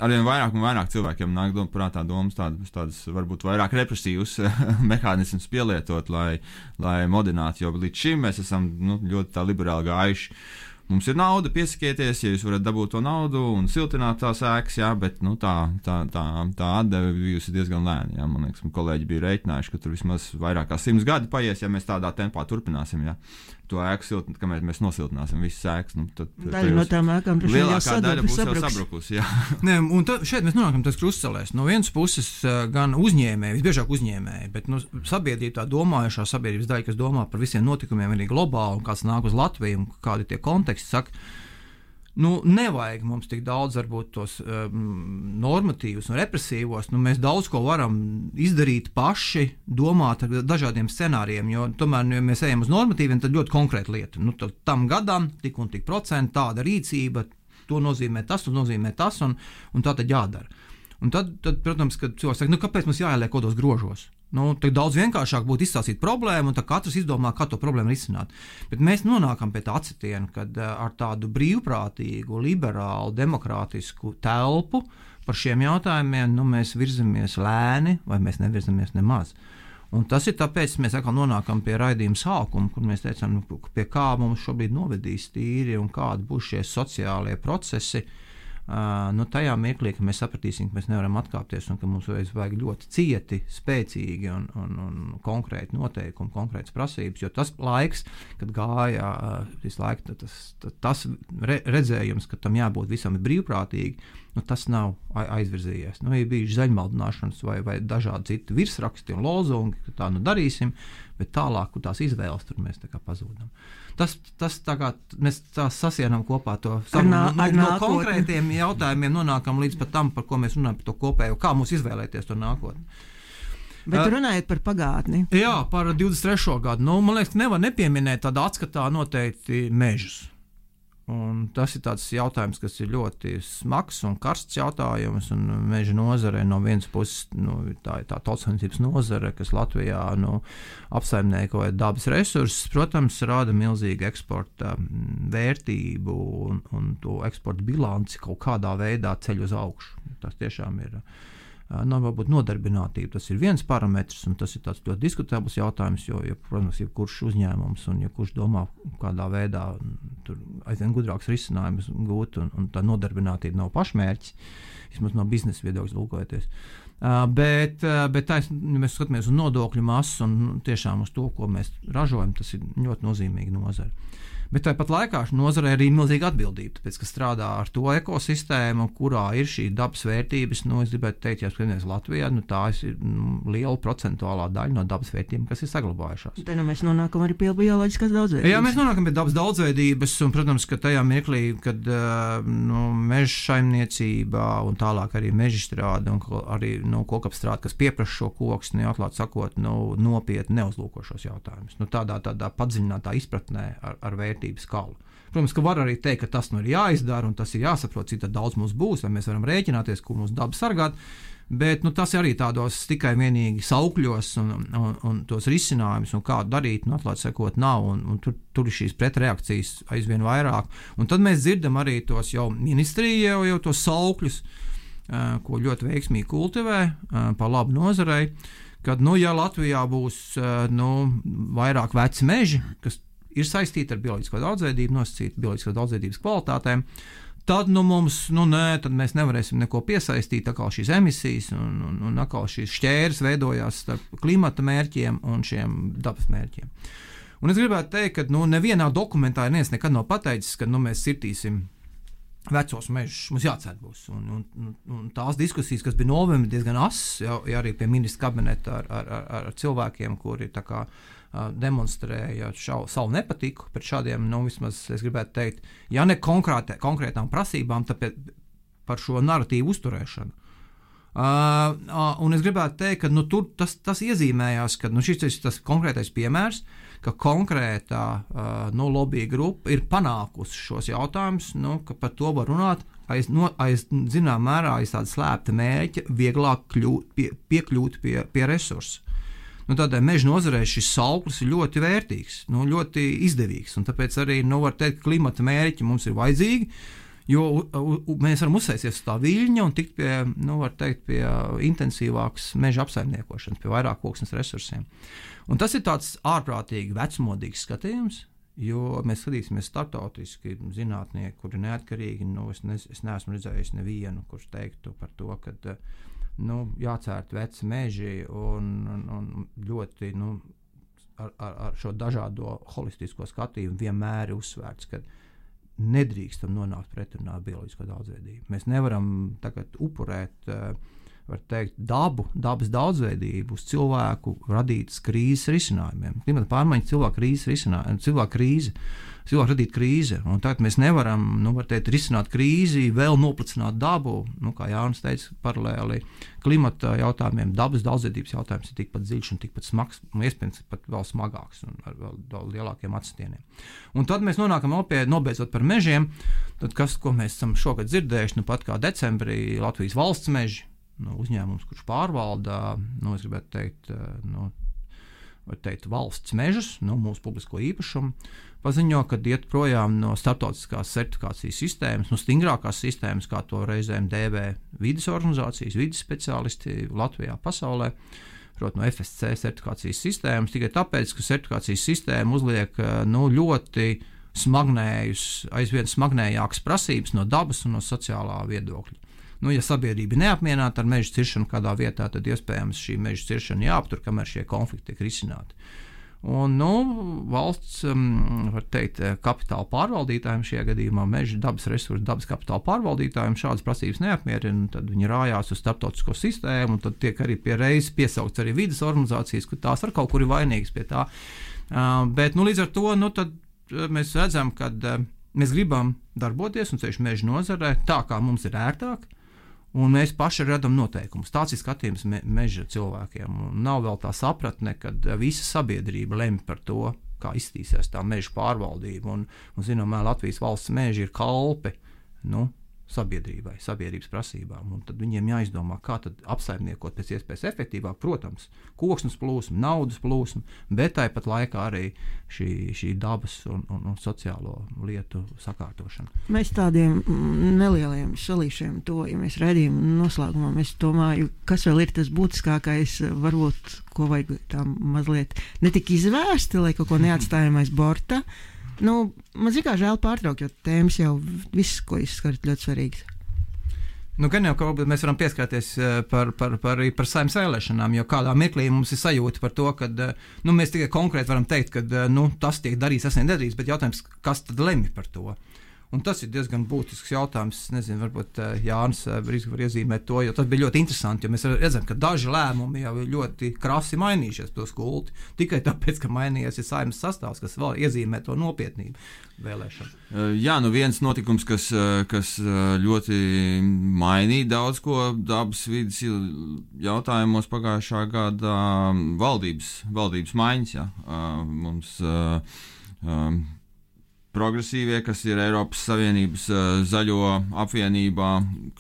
Arvien vairāk un vairāk cilvēkiem nāk prātā domas tādas varbūt vairāk represīvas mehānismus pielietot, lai modinātu, jo līdz šim mēs esam ļoti tā liberāli gājuši. Mums ir nauda, piesakieties, ja jūs varat dabūt to naudu un siltināt tās ēkas, jā, bet tā atdeve bijusi diezgan lēna. Jā. Man liekas, kolēģi bija rēķinājuši, ka tur vismaz vairāk kā 100 gadi paies, ja mēs tādā tempā turpināsim. Jā. To ēku siltināt, kamēr mēs nosiltināsim visas ēkas. Tad daļa no tām ēkām lielākā daļa būs jau sabrukusi. Nē, un šeit mēs nonākam tas krustcelēs. No vienas puses gan uzņēmēji, visbiežāk uzņēmēji, bet sabiedrība tā domājušā sabiedrības daļa, kas domā par visiem notikumiem arī globāli, un kāds nāk uz Latviju, un kādi tie konteksti saka, nevajag mums tik daudz varbūt tos normatīvus un represīvos, mēs daudz ko varam izdarīt paši, domāt ar dažādiem scenārijiem, jo tomēr, ja mēs ejam uz normatīviem, tad ļoti konkrēta lieta. Tam gadam tik un tik procenti tāda rīcība, to nozīmē tas, un tā tad jādara. Un tad protams, kad cilvēks saka, kāpēc mums jāieliek kodos grožos? Tad daudz vienkāršāk būtu izstāstīt problēmu, un tad katrs izdomā, kā to problēmu risināt. Bet mēs nonākam pie tā atcitiena, kad ar tādu brīvprātīgu, liberālu, demokrātisku telpu par šiem jautājumiem mēs virzamies lēni, vai mēs nevirzamies nemaz. Un tas ir tāpēc, mēs atkal nonākam pie raidījuma sākuma, kur mēs teicām, pie kā mums šobrīd novedīs tīri un kādi būs šie sociālie procesi. Tajā mirklī, ka mēs sapratīsim, ka mēs nevaram atkāpties un ka mums vajag ļoti cieti, spēcīgi un konkrēti noteikumi, konkrētas prasības, jo tas laiks, kad gāja visu laiku, tas redzējums, ka tam jābūt visam brīvprātīgi, tas nav aizvirzījies. Ir bijuši zaļmaldināšanas vai dažādi citi virsraksti un lozungi, ka tā darīsim, bet tālāk tās izvēles tur mēs tā kā pazūdam. Tas tā kā mēs tā sasienam kopā to no konkrētiem jautājumiem nonākam līdz pat tam, par ko mēs runājam, par to kopējo, kā mums izvēlēties to nākotni. Bet runājot par pagātni. Jā, par 23. gadu. Man liekas, nevar nepieminēt tādā atskatā noteikti mežus. Un tas ir tāds jautājums, kas ir ļoti smags un karsts jautājums, un meža nozare no vienas puses, tā ir tā tautssaimniecības nozare, kas Latvijā apsaimniekoja dabas resursus, protams, rada milzīgu eksporta vērtību un to eksporta bilanci kaut kādā veidā ceļ uz augšu. Tas tiešām ir varbūt nodarbinātība. Tas ir viens parametrs, un tas ir tāds ļoti diskutabls jautājums, jo, protams, jebkurš uzņēmums un jebkurš domā, kādā veidā tur aizvien gudrāks risinājums gūt, un tā nodarbinātība nav pašmērķis, vismaz no biznesa viedokļa lūkojoties. Bet mēs skatāmies uz nodokļu masu un tiešām uz to, ko mēs ražojam, tas ir ļoti nozīmīgi nozare. Bet tāpat laikā nozarei arī milzīga atbildība, tāpēc, ka strādā ar to ekosistēmu, kurā ir šī dabas vērtības. Es gribētu teikt, ja skatāmies Latvijā, tā ir liela procentuālā daļa no dabas vērtībām, kas ir saglabājušās. Te mēs nonākam arī pie bioloģiskās daudzveidības. Jā, mēs nonākam pie dabas daudzveidības, un, protams, ka tajā mirklī, kad meža saimniecībā un tālāk arī mežstrāde un arī kokapstrāde, kas pieprasa šo koksni, atklāt sakot, nopietni neuzlūkošos jautājumus. Tādā padziļinātā izpratnē ar vērtību skalu. Protams, ka var arī teikt, ka tas ir jāizdara un tas ir jāsaprot, cik daudz mums būs, vai mēs varam rēķināties, kur mums daba sargāt, Bet tas arī tādos tikai vienīgi saukļos un tos risinājumus, un kā darīt, atklāt sakot, nav, un tur ir šīs pretreakcijas aizvien vairāk. Un tad mēs dzirdam arī tos jau ministrija jau tos saukļus, ko ļoti veiksmīgi kultivē par labu nozarei, kad, ja Latvijā būs vairāk veci meži, kas ir saistīti ar bioloģisko daudzveidību, nosacīti bioloģiskās daudzveidības kvalitātēm, tad mums, tad mēs nevarēsim neko piesaistīt, atkal šīs emisijas un atkal šīs šķēres veidojās starp klimata mērķiem un šiem dabas mērķiem. Un es gribētu teikt, ka nevienā dokumentā neviens nekad nav pateicis, ka mēs sirtīsim vecos mežus, mums jācēt būs. Un tās diskusijas, kas bija novembrī diezgan asas, ja arī pie ministra kabineta ar cilvēkiem, kuri tā kā demonstrēja savu nepatiku pret šādiem, vismaz es gribētu teikt, ja ne konkrētām prasībām, tāpēc par šo narratīvu uzturēšanu. Un es gribētu teikt, ka tur tas iezīmējās, ka šis ir tas konkrētais piemērs, ka konkrētā lobby grupa ir panākusi šos jautājumus, ka par to var runāt aiz zinām mērā aiz tāda slēpta mērķa vieglāk piekļūt pie resursu. Tādēļ meža nozarē šis sauklis ir ļoti vērtīgs, ļoti izdevīgs, un tāpēc arī var teikt, ka klimata mērķi mums ir vajadzīgi, jo mēs varam uzsēsties uz tā viļņa un tikt pie intensīvākas meža apsaimniekošanas, pie vairāk koksnes resursiem. Un tas ir tāds ārprātīgi vecmodīgs skatījums, jo mēs skatīsimies startautiski zinātnieki, kuri neatkarīgi, es neesmu redzējis nevienu, kurš teiktu par to, ka jācērt veci meži un ļoti ar šo dažādo holistisko skatījumu vienmēr ir uzsvērts, ka nedrīkstam nonākt pretrunā ar bioloģisko daudzveidību. Mēs nevaram tagad upurēt, var teikt, dabas daudzveidību uz cilvēku radītas krīzes risinājumiem. Klimata pārmaiņas cilvēku radīt krīze, un tagad mēs nevaram, var teikt, risināt krīzi, vēl noplicināt dabu, kā Jānis teica, paralēli klimata jautājumiem, dabas daudzveidības jautājums ir tikpat dziļš un tikpat smags, un iespējams pat vēl smagāks un ar vēl lielākiem atstieniem. Un tad mēs nonākam nobeidzot par mežiem, tad ko mēs esam šogad dzirdējuši, pat kā decembrī Latvijas valsts meži, uzņēmums, kurš pārvalda, es gribētu teikt, valsts mežus, mūsu publisko īpašumu, paziņo, ka iet projām no starptautiskās certifikācijas sistēmas, stingrākās sistēmas, kā to reizēm dēvē vides organizācijas, vides speciālisti Latvijā, pasaulē, proti no FSC certifikācijas sistēmas, tikai tāpēc, ka certifikācijas sistēma uzliek ļoti aizvien smagnējākas prasības no dabas un no sociālā viedokļa. Ja sabiedrība neapmierināta ar meža ciršanu kādā vietā, tad iespējams šī meža ciršana jāaptur, kamēr šie konflikti tiek risināti. Un, valsts, var teikt, kapitāla pārvaldītājiem šajā gadījumā, meža dabas resursu, dabas kapitāla pārvaldītājiem šādas prasības neapmierina, tad viņi rājās uz starptautisko sistēmu, un tad tiek arī pie reizes piesaukts arī vides organizācijas, ka tās ar kaut kur ir vainīgas pie tā. Bet, līdz ar to, tad mēs redzam, ka mēs gribam darboties un ceļš meža nozarē tā, kā mums ir ērtāk, un mēs paši radam noteikumus. Tāds ir skatījums meža cilvēkiem. Un nav vēl tā sapratne, kad visa sabiedrība lemj par to, kā iztīsies tā meža pārvaldība. Un zināmā Latvijas valsts meži ir kalpi sabiedrībai, sabiedrības prasībām. Un tad viņiem jāizdomā, kā tad apsaimniekot pēc iespējas efektīvāk, protams, koksnes plūsmu, naudas plūsmu, bet tāpat laikā arī šī dabas un sociālo lietu sakārtošana. Mēs tādiem nelieliem salīšiem tojamies redzējumu noslēgumā. Es domāju, kas vēl ir tas būtiskākais, varbūt, ko vajag tam mazliet netik izvērsti, lai kaut ko neatstājam aiz borta. Man kā žēl pārtraukt, jo tēmas jau viss, ko izskarat, ļoti svarīgs. Gan jau, ka mēs varam pieskarties par saimnes vēlēšanām, jo kādā mirklī mums ir sajūta par to, ka mēs tikai konkrēti varam teikt, ka tas tiek darīts, tas nedarīts, bet jautājums, kas tad lemj par to? Un tas ir diezgan būtisks jautājums. Es nezinu, varbūt Jānis Brīsku var iezīmēt to, jo tas bija ļoti interesanti, jo mēs redzam, ka daži lēmumi jau ir ļoti krasi mainījušies to skulti, tikai tāpēc, ka mainījies ir saimnes sastāvs, kas vēl iezīmē to nopietnību vēlēšanu. Jā, viens notikums, kas ļoti mainīja daudz ko dabas vidas jautājumos pagājušā gada valdības maiņas. Jā. Mums progresīvie, kas ir Eiropas Savienības zaļo apvienībā,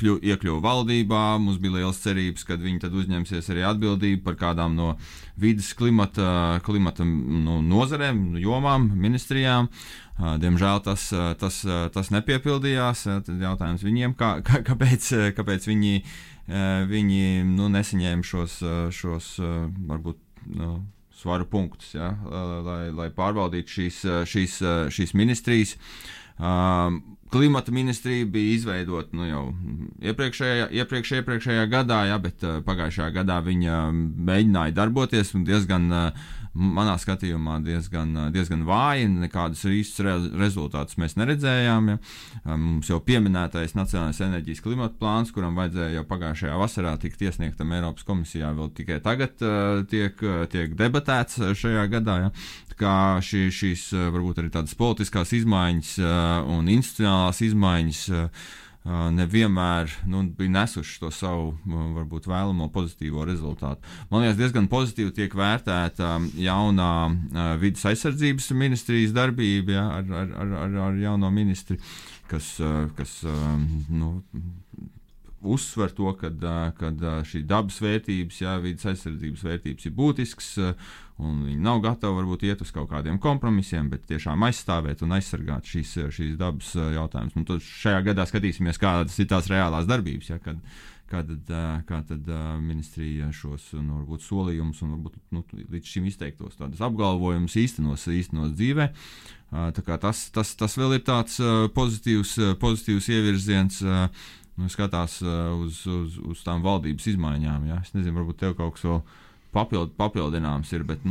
iekļuva valdībā. Mums bija liels cerības, ka viņi tad uzņemsies arī atbildību par kādām no vides klimata nozarēm, jomām, ministrijām. Diemžēl tas nepiepildījās. Tad jautājums viņiem, kāpēc viņi nesaņēma šos varbūt svaru punktus, ja, lai pārvaldītu šīs ministrijas. Klimata ministrija bija izveidota jau iepriekšējā gadā, ja, bet pagājušajā gadā viņa mēģināja darboties un diezgan, manā skatījumā, diezgan vāji, nekādus īstus rezultātus mēs neredzējām. Ja. Mums jau pieminētais Nacionālais enerģijas klimata plāns, kuram vajadzēja jau pagājušajā vasarā tikt iesniegtam Eiropas komisijā, vēl tikai tagad tiek debatēts šajā gadā. Ja. Kā šīs varbūt arī tādas politiskās izmaiņas un institucionālās izmaiņas nevienmēr bija nesuši to savu varbūt vēlamo pozitīvo rezultātu. Man liekas, diezgan pozitīvi tiek vērtēta jaunā vides aizsardzības ministrijas darbība, ja, ar jauno ministri, kas uzsver to, kad šī dabas vērtības, jā, vides aizsardzības vērtības ir būtisks, un viņi nav gatavi varbūt iet uz kaut kādiem kompromisiem, bet tiešām aizstāvēt un aizsargāt šīs dabas jautājumus. Tad šajā gadā skatīsimies, kādas ir tās reālās darbības, ja, kā tad ministrija šos varbūt solījumus un varbūt līdz šim izteiktos tādas apgalvojumus īstenos dzīvē. Tā kā tas vēl ir tāds pozitīvs ievirziens, skatās uz tām valdības izmaiņām. Ja. Es nezinu, varbūt tev kaut kas vēl papildināms ir, bet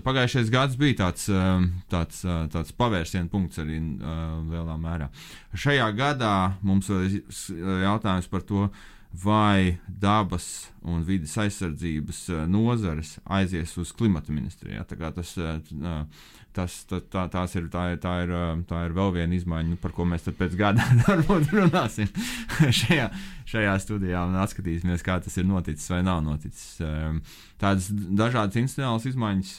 pagājušais gads bija tāds pavērsiena punkts arī lielā mērā. Šajā gadā mums vēl ir jautājums par to, vai dabas un vides aizsardzības nozares aizies uz klimata ministrijā. Tā kā tā ir vēl viena izmaiņa, par ko mēs tad pēc gada varbūt runāsim šajā studijā un atskatīsimies, kā tas ir noticis vai nav noticis. Tādas dažādas institucionālas izmaiņas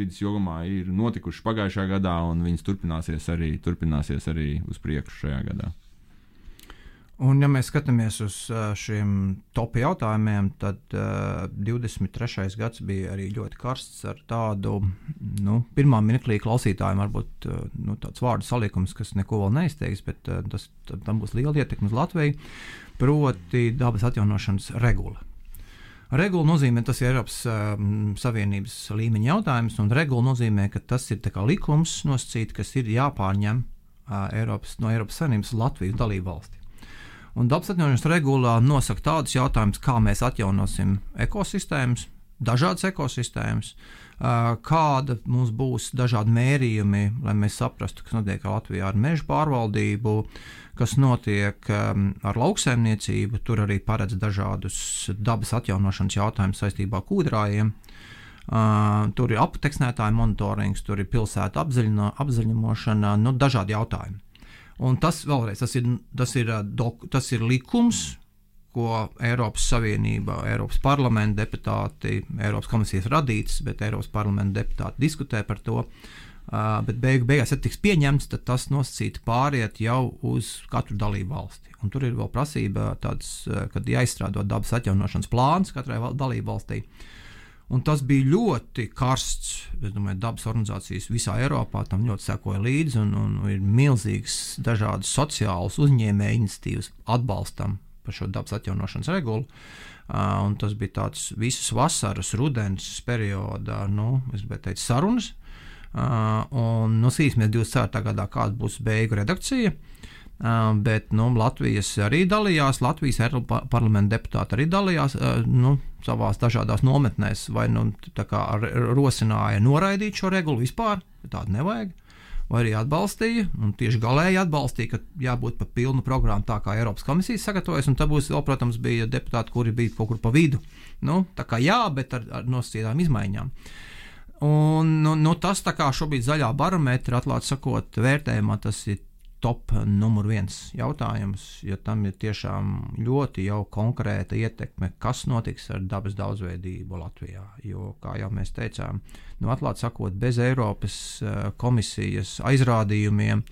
vides jomā ir notikušas pagājušajā gadā, un viņas turpināsies arī uz priekšu šajā gadā. Un, ja mēs skatāmies uz šiem topu jautājumiem, tad 23. gads bija arī ļoti karsts ar tādu, pirmā mirklī klausītājiem varbūt tāds vārdu salikums, kas neko vēl neizteiks, bet tam būs liela ietekme uz Latviju, proti dabas atjaunošanas regula. Regula nozīmē, tas ir Eiropas Savienības līmeņa jautājums, un regula nozīmē, ka tas ir tā kā likums nosacīt, kas ir jāpārņem no Eiropas Savienības Latvijas dalību valsti. Un dabas atjaunošanas regulā nosaka tādus jautājumus, kā mēs atjaunosim ekosistēmas, dažādas ekosistēmas, kāda mums būs dažādi mērījumi, lai mēs saprastu, kas notiek Latvijā ar mežu pārvaldību, kas notiek ar lauksaimniecību, tur arī paredz dažādus dabas atjaunošanas jautājumus saistībā ar kūdrājiem. Tur ir apteksnētāju monitorings, tur ir pilsētu apzaļumošana, dažādi jautājumi. Un tas vēlreiz, tas ir likums, ko Eiropas Savienība, Eiropas parlamenta deputāti, Eiropas komisijas radīts, bet Eiropas parlamenta deputāti diskutē par to, bet beigās, ja tiks pieņemts, tad tas nosacīti pāriet jau uz katru dalību valsti. Un tur ir vēl prasība tāds, kad jāizstrādā dabas atjaunošanas plāns katrai dalību valstī. Un tas bija ļoti karsts, es domāju, dabas organizācijas visā Eiropā tam ļoti sekoja līdzi, un ir milzīgs dažādas sociālas uzņēmēju iniciatīvas atbalstam par šo dabas atjaunošanas regulu. Un tas bija tāds visas vasaras, rudens periodā, es gribētu teikt, sarunas. Un skatīsimies 24. gadā, kāda būs beigu redakcija. Bet Latvijas arī dalījās, Latvijas parlamenta deputāti arī dalījās savās dažādās nometnēs, vai tā kā rosināja noraidīt šo regulu vispār, tādu nevajag, vai arī atbalstīja, un tieši galēji atbalstīja, ka jābūt pa pilnu programmu tā kā Eiropas komisijas sagatavojas, un tā būs vēl, protams, bija deputāti, kuri bija kaut kur pa vidu. Tā kā jā, bet ar nosacītām izmaiņām. Un tas tā kā šobrīd zaļā barometra, atklāt sakot, vērtējumā tas ir top numur 1 jautājums, jo tam ir tiešām ļoti jau konkrēta ietekme, kas notiks ar dabas daudzveidību Latvijā. Jo, kā jau mēs teicām, atklāti sakot, bez Eiropas komisijas aizrādījumiem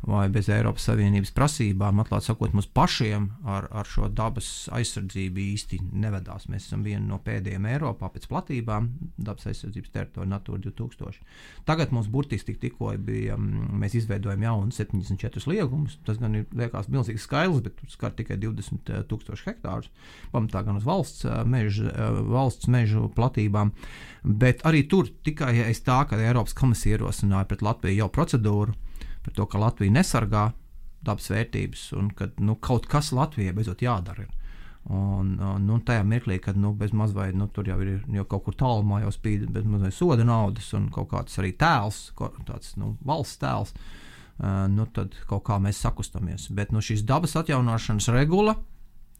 vai bez Eiropas Savienības prasībām, atklāti sakot, mums pašiem ar šo dabas aizsardzību īsti nevedās. Mēs esam viena no pēdējiem Eiropā pēc platībām dabas aizsardzības teritorija Natūra 2000. Tagad mums burtiski tikko bija, mēs izveidojam jaunu 74 liegumus. Tas gan liekas milzīgs skaidrs, bet skar tikai 20,000 hektārus. Pamatā gan uz valsts mežu platībām. Bet arī tur tikai aiz tā, ka Eiropas komisija ierosināja pret Latviju jau procedūru par to, ka Latvija nesargā dabas vērtības un ka kaut kas Latvijai beidzot jādara. Un tajā mirklī, kad bez mazvai, tur jau ir jau kaut kur tālumā jau spīd bez mazvai soda naudas un kaut kāds arī tēls, tāds valsts tēls, tad kaut kā mēs sakustamies. Bet šīs dabas atjaunošanas regula,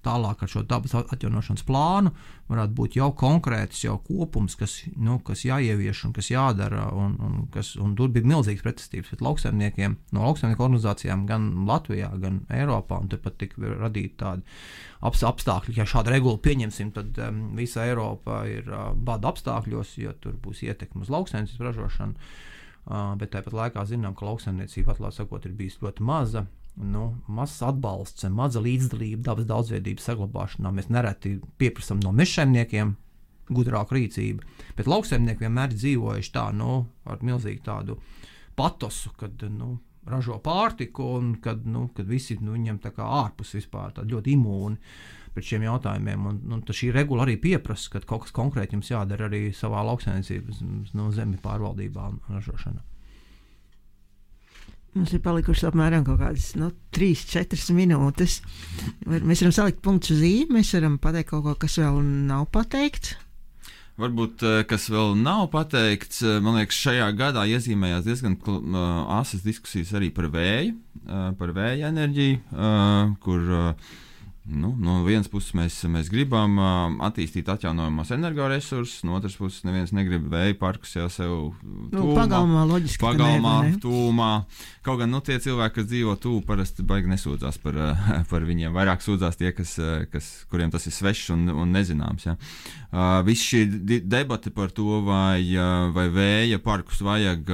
tālāk ar šo dabas atjaunošanas plānu varētu būt jau konkrēts, jau kopums, kas jāievieš un kas jādara, un tur bija milzīgs pretestības pret lauksaimniekiem, no lauksaimnieku organizācijām gan Latvijā, gan Eiropā, un turpat tika radīti tādi apstākļi, ja šādu regulu pieņemsim, tad visa Eiropa ir bada apstākļos, jo tur būs ietekme uz lauksaimniecības ražošanu, bet tāpat laikā zinām, ka lauksaimniecība, atklāti sakot, ir bijis ļoti maza, mazs atbalsts, maza līdzdalība dabas daudzveidības saglabāšanā. Mēs nereti pieprasam no mežsaimniekiem gudrāku rīcību, bet lauksaimnieki vienmēr dzīvojuši tā, ar milzīgu tādu patosu, kad, ražo pārtiku un kad visi, viņam tā kā ārpus vispār tādi ļoti imūni pret šiem jautājumiem, un šī regula arī pieprasa, ka kaut kas konkrēti jums jādara arī savā lauksaimniecības, zemi pārvaldībā un ražošanā. Mums ir palikušas apmēram kaut kādas 3-4 minūtes. Mēs varam salikt punktu uz I, mēs varam pateikt kaut ko, kas vēl nav pateikts. Varbūt, kas vēl nav pateikts, man liekas, šajā gadā iezīmējās diezgan asas diskusijas arī par vēja enerģiju, kur no vienas puses mēs gribam attīstīt atjaunojamos energoresursus, no otras puses neviens negrib vēja parkus jau sev pagalmā, loģiski. Pagalmā, tūmā. Kaut gan tie cilvēki, kas dzīvo tūmu, parasti baigi nesūdzās par viņiem. Vairāk sūdzās tie, kuriem tas ir svešs un nezināms. Ja. Viss šī debate par to, vai vēja parkus vajag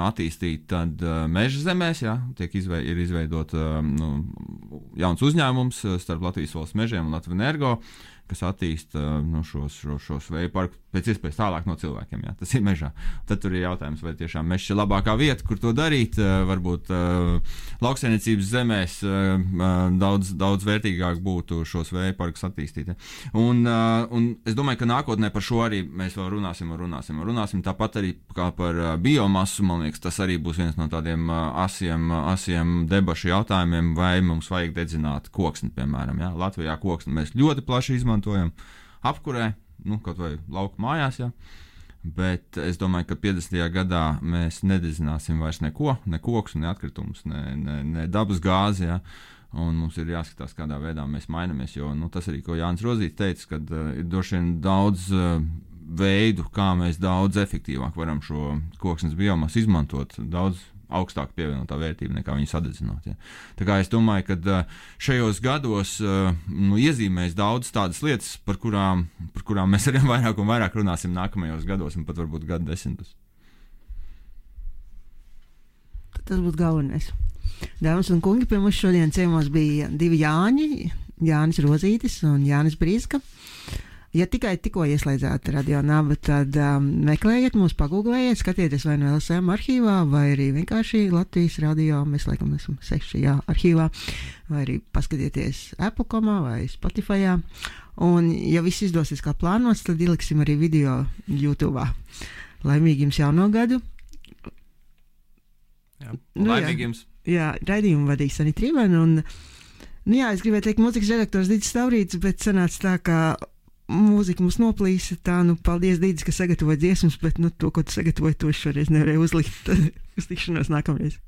attīstīt tad meža zemēs, ja, ir izveidot jauns uzņēmums starp Latvijas valsts mežiem un Latvenergo, kas attīsta šos vēja parkus pēc iespējas tālāk no cilvēkiem. Jā, tas ir mežā. Tad tur ir jautājums, vai tiešām mežs ir labākā vieta, kur to darīt. Varbūt lauksaimniecības zemēs daudz vērtīgāk būtu šos vēja parkus attīstīt. Ja. Un es domāju, ka nākotnē par šo arī mēs vēl runāsim. Tāpat arī kā par biomasu, man liekas, tas arī būs viens no tādiem asiem debašu jautājumiem, vai mums vajag dedzināt koksni, piemēram. Ja. Latvijā koksni mēs ļoti plaši izmantojam apkurē, kaut vai lauku mājās, ja. Bet es domāju, ka 50. gadā mēs nededzināsim vairs ne koksu, ne atkritumus, ne dabas gāzi, ja. Un mums ir jāskatās, kādā veidā mēs mainamies, jo tas arī, ko Jānis Rozīts teica, kad ir droši vien daudz veidu, kā mēs daudz efektīvāk varam šo koksnes biomasu izmantot, daudz augstāk pievienotā vērtība nekā viņu sadedzināt. Ja. Tā kā es domāju, ka šajos gados iezīmēs daudz tādas lietas, par kurām mēs arī vairāk un vairāk runāsim nākamajos gados un pat varbūt gadu desmitus. Tas būtu galvenais. Dāmas un kungi, pie mums šodien ciemos bija 2 Jāņi, Jānis Rozītis un Jānis Brīska. Ja tikai tikko ieslēdzāt Radio Naba, tad meklējiet mūs, pagūglējiet, skatieties vai no LSM arhīvā, vai arī vienkārši Latvijas radio, mēs laikam esam 6 arhīvā, vai arī paskatieties Apple.comā vai Spotifyā. Un, ja viss izdosies kā plānots, tad ieliksim arī video YouTube'ā. Laimīgi jums jauno gadu! Laimīgi jums! Jā, raidījumu vadīs Sanita Rībēna, un, es gribēju teikt mūzikas redaktors Didis Staurītis, bet sanāca tā, ka mūzika mums noplīsa, tā, paldies Didis, ka sagatavoja dziesmas, bet, to, ko tu sagatavoji, to šoreiz nevarēju uzlikt. Uz tikšanos nākamreiz.